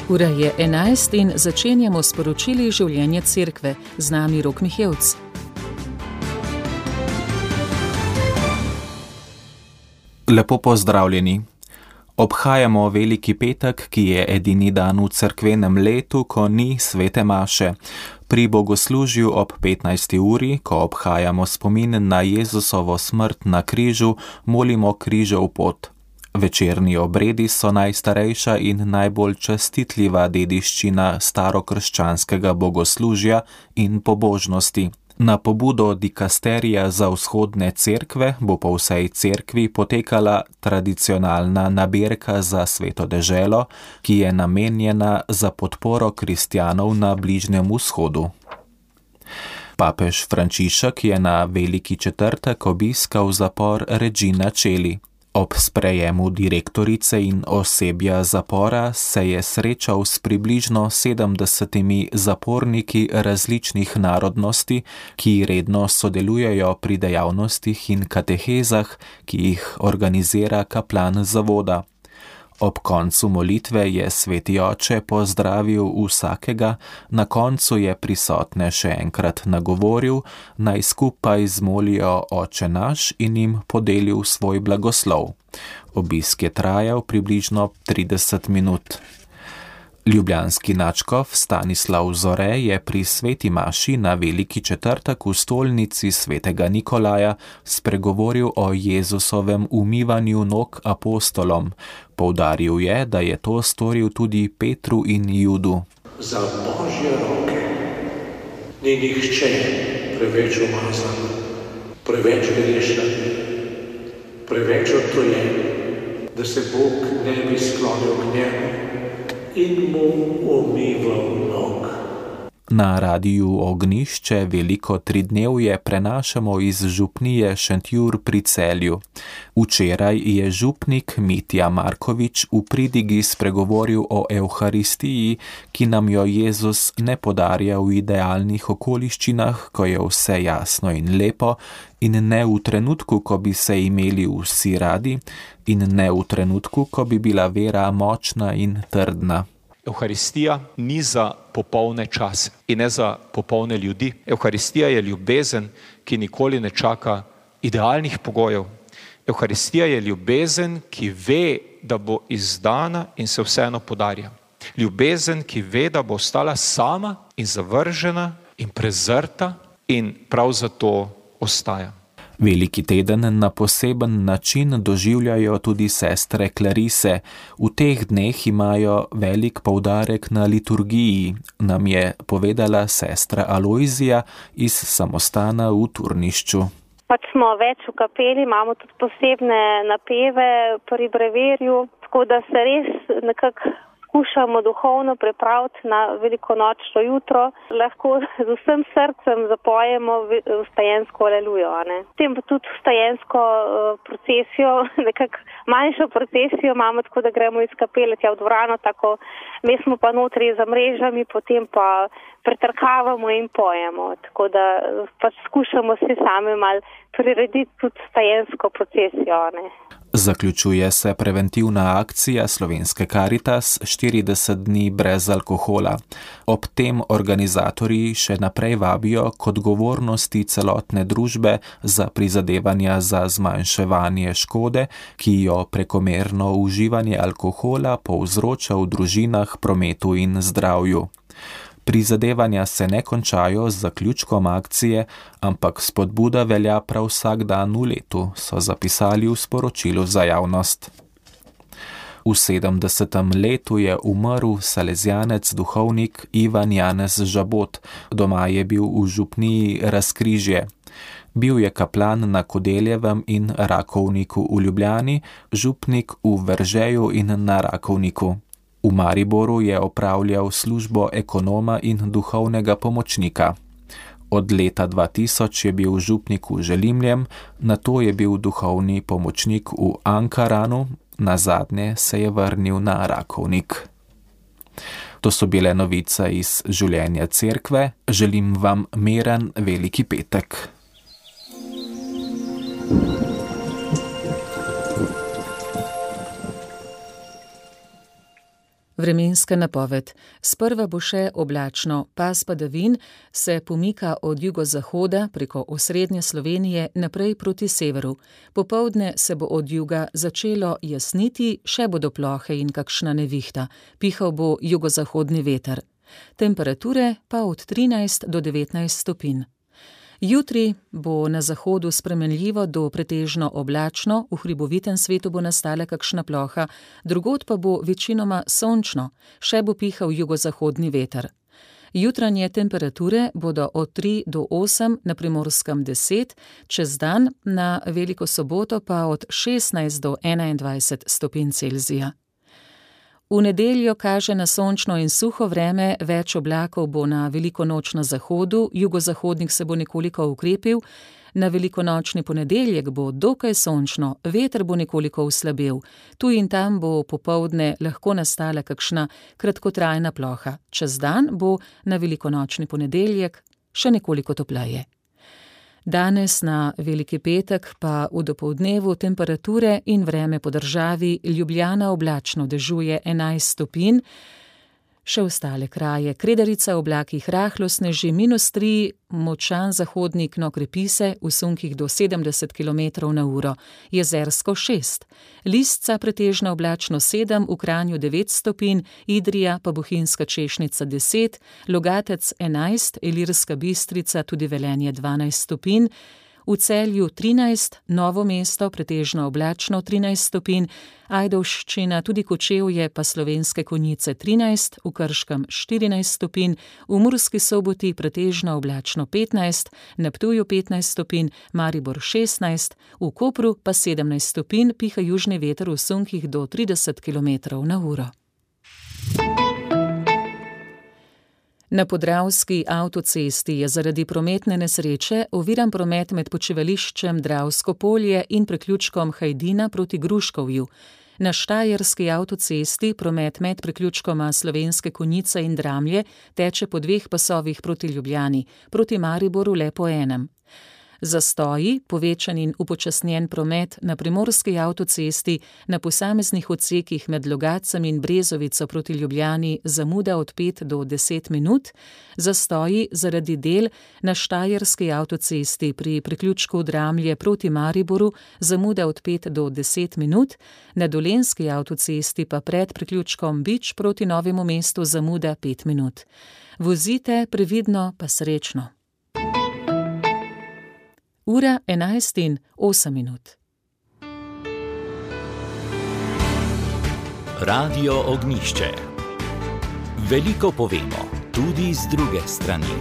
Ura je 11 in začenjamo s poročili življenja cerkve. Z nami Rok Mihevc. Lepo pozdravljeni. Obhajamo Veliki petek, ki je edini dan v cerkvenem letu, ko ni svete maše. Pri bogoslužju ob 15. uri, ko obhajamo spomin na Jezusovo smrt na križu, molimo križev pot. Večerni obredi so najstarejša in najbolj častitljiva dediščina starokrščanskega bogoslužja in pobožnosti. Na pobudo dikasterija za vzhodne cerkve bo po vsej cerkvi potekala tradicionalna nabirka za Sveto deželo, ki je namenjena za podporo kristjanov na Bližnjem vzhodu. Papež Frančišek je na Veliki četrtek obiskal zapor Regina Coeli. Ob sprejemu direktorice in osebja zapora se je srečal s približno 70 zaporniki različnih narodnosti, ki redno sodelujejo pri dejavnostih in katehezah, ki jih organizira kaplan zavoda. Ob koncu molitve je sveti oče pozdravil vsakega, na koncu je prisotne še enkrat nagovoril, naj skupaj zmolijo Oče naš in jim podelil svoj blagoslov. Obisk je trajal približno 30 minut. Ljubljanski nadškof Stanislav Zore je pri sveti maši na Veliki četrtek v stolnici svetega Nikolaja spregovoril o Jezusovem umivanju nog apostolom. Poudaril je, da je to storil tudi Petru in Judu. Za Božje roke ni nihče preveč umazan, preveč grešen, preveč odtujen, da se Bog ne bi sklonil k njemu in mu umival nog. Na radiju Ognišče veliko tridnevje prenašamo iz župnije Šentjur pri Celju. Včeraj je župnik Mitja Markovič v pridigi spregovoril o Evharistiji, ki nam jo Jezus ne podarja v idealnih okoliščinah, ko je vse jasno in lepo, in ne v trenutku, ko bi se imeli vsi radi, in ne v trenutku, ko bi bila vera močna in trdna. Evharistija ni za popolne čase in ne za popolne ljudi. Evharistija je ljubezen, ki nikoli ne čaka idealnih pogojev. Evharistija je ljubezen, ki ve, da bo izdana in se vseeno podarja. Ljubezen, ki ve, da bo ostala sama in zavržena in prezrta in prav zato ostaja. Veliki teden na poseben način doživljajo tudi sestre Klarise. V teh dneh imajo velik poudarek na liturgiji, nam je povedala sestra Alojzija iz samostana v Turnišču. Pač smo več v kapeli, imamo tudi posebne napeve pri breverju, tako da se res nekako skušamo duhovno pripraviti na velikonočno jutro, lahko z vsem srcem zapojemo vstajensko alelujo. Potem pa tudi vstajensko procesijo, nekako manjšo procesijo imamo, tako da gremo iz kapele tja v dvorano, tako mi smo pa notri za mrežami, potem pa pretrkavamo in pojemo, tako da pač skušamo si sami malo prirediti tudi vstajensko procesijo. Zaključuje se preventivna akcija Slovenske Karitas 40 dni brez alkohola. Ob tem organizatorji še naprej vabijo k odgovornosti celotne družbe za prizadevanja za zmanjševanje škode, ki jo prekomerno uživanje alkohola povzroča v družinah, prometu in zdravju. Prizadevanja se ne končajo z zaključkom akcije, ampak spodbuda velja prav vsak dan v letu, so zapisali v sporočilu za javnost. V 70. letu je umrl salezjanec duhovnik Ivan Janez Žabot, doma je bil v župniji Razkrižje. Bil je kaplan na Kodeljevem in Rakovniku v Ljubljani, župnik v Veržeju in na Rakovniku. V Mariboru je opravljal službo ekonoma in duhovnega pomočnika. Od leta 2000 je bil župnik v Želimljem, nato je bil duhovni pomočnik v Ankaranu, nazadnje se je vrnil na Rakovnik. To so bile novice iz življenja cerkve. Želim vam miren Veliki petek. Vremenska napoved. Sprva bo še oblačno, pas padavin se pomika od jugozahoda preko osrednje Slovenije naprej proti severu. Popoldne se bo od juga začelo jasniti, še bodo plohe in kakšna nevihta. Pihal bo jugozahodni veter. Temperature pa od 13 do 19 stopinj. Jutri bo na zahodu spremenljivo do pretežno oblačno, v hribovitem svetu bo nastala kakšna ploha, drugod pa bo večinoma sončno, še bo pihal jugozahodni veter. Jutranje temperature bodo od 3 do 8, na Primorskem 10, čez dan na Veliko soboto pa od 16 do 21 stopinj Celzija. V nedeljo kaže na sončno in suho vreme, več oblakov bo na veliko noč na zahodu, jugozahodnik se bo nekoliko ukrepil, na velikonočni ponedeljek bo dokaj sončno, veter bo nekoliko oslabel, tu in tam bo popoldne lahko nastala kakšna kratkotrajna ploha, čez dan bo na velikonočni ponedeljek še nekoliko topleje. Danes na Veliki petek pa v dopoldnevu temperature in vreme po državi: Ljubljana oblačno, dežuje 11 stopinj, še ostale kraje: Kredarica, oblakih rahlo sneži, -3, močan zahodnik, no krepi se, v sunkih do 70 km/h, Jezersko 6, Lisca pretežno oblačno 7, v Kranju 9 stopinj, Idrija pa Bohinjska Češnica 10, Logatec 11, Ilirska Bistrica, tudi Velenje 12 stopinj, v Celju 13, Novo mesto pretežno oblačno 13 stopinj, Ajdovščina, tudi Kočevje pa Slovenske Konjice 13, v Krškem 14 stopinj, v Murski Soboti pretežno oblačno 15, na Ptuju 15 stopinj, Maribor 16, v Kopru pa 17 stopinj, piha južni veter v sunkih do 30 km/h. Na Podravski avtocesti je zaradi prometne nesreče oviran promet med počivališčem Dravsko polje in priključkom Hajdina proti Gruškovju. Na Štajerski avtocesti promet med priključkoma Slovenske Konjice in Dramlje teče po 2 pasovih proti Ljubljani, proti Mariboru le po enem. Zastoji, povečan in upočasnjen promet na Primorski avtocesti na posameznih odsekih med Logatcem in Brezovico proti Ljubljani, zamuda od 5 do 10 minut, zastoji zaradi del na Štajerski avtocesti pri priključku Dramlje proti Mariboru, zamuda od 5 do 10 minut, na Dolenjski avtocesti pa pred priključkom Bič proti Novemu mestu zamuda 5 minut. Vozite previdno pa srečno. Ura 11:08. Radio Ognjišče. Veliko povemo, tudi z druge strani.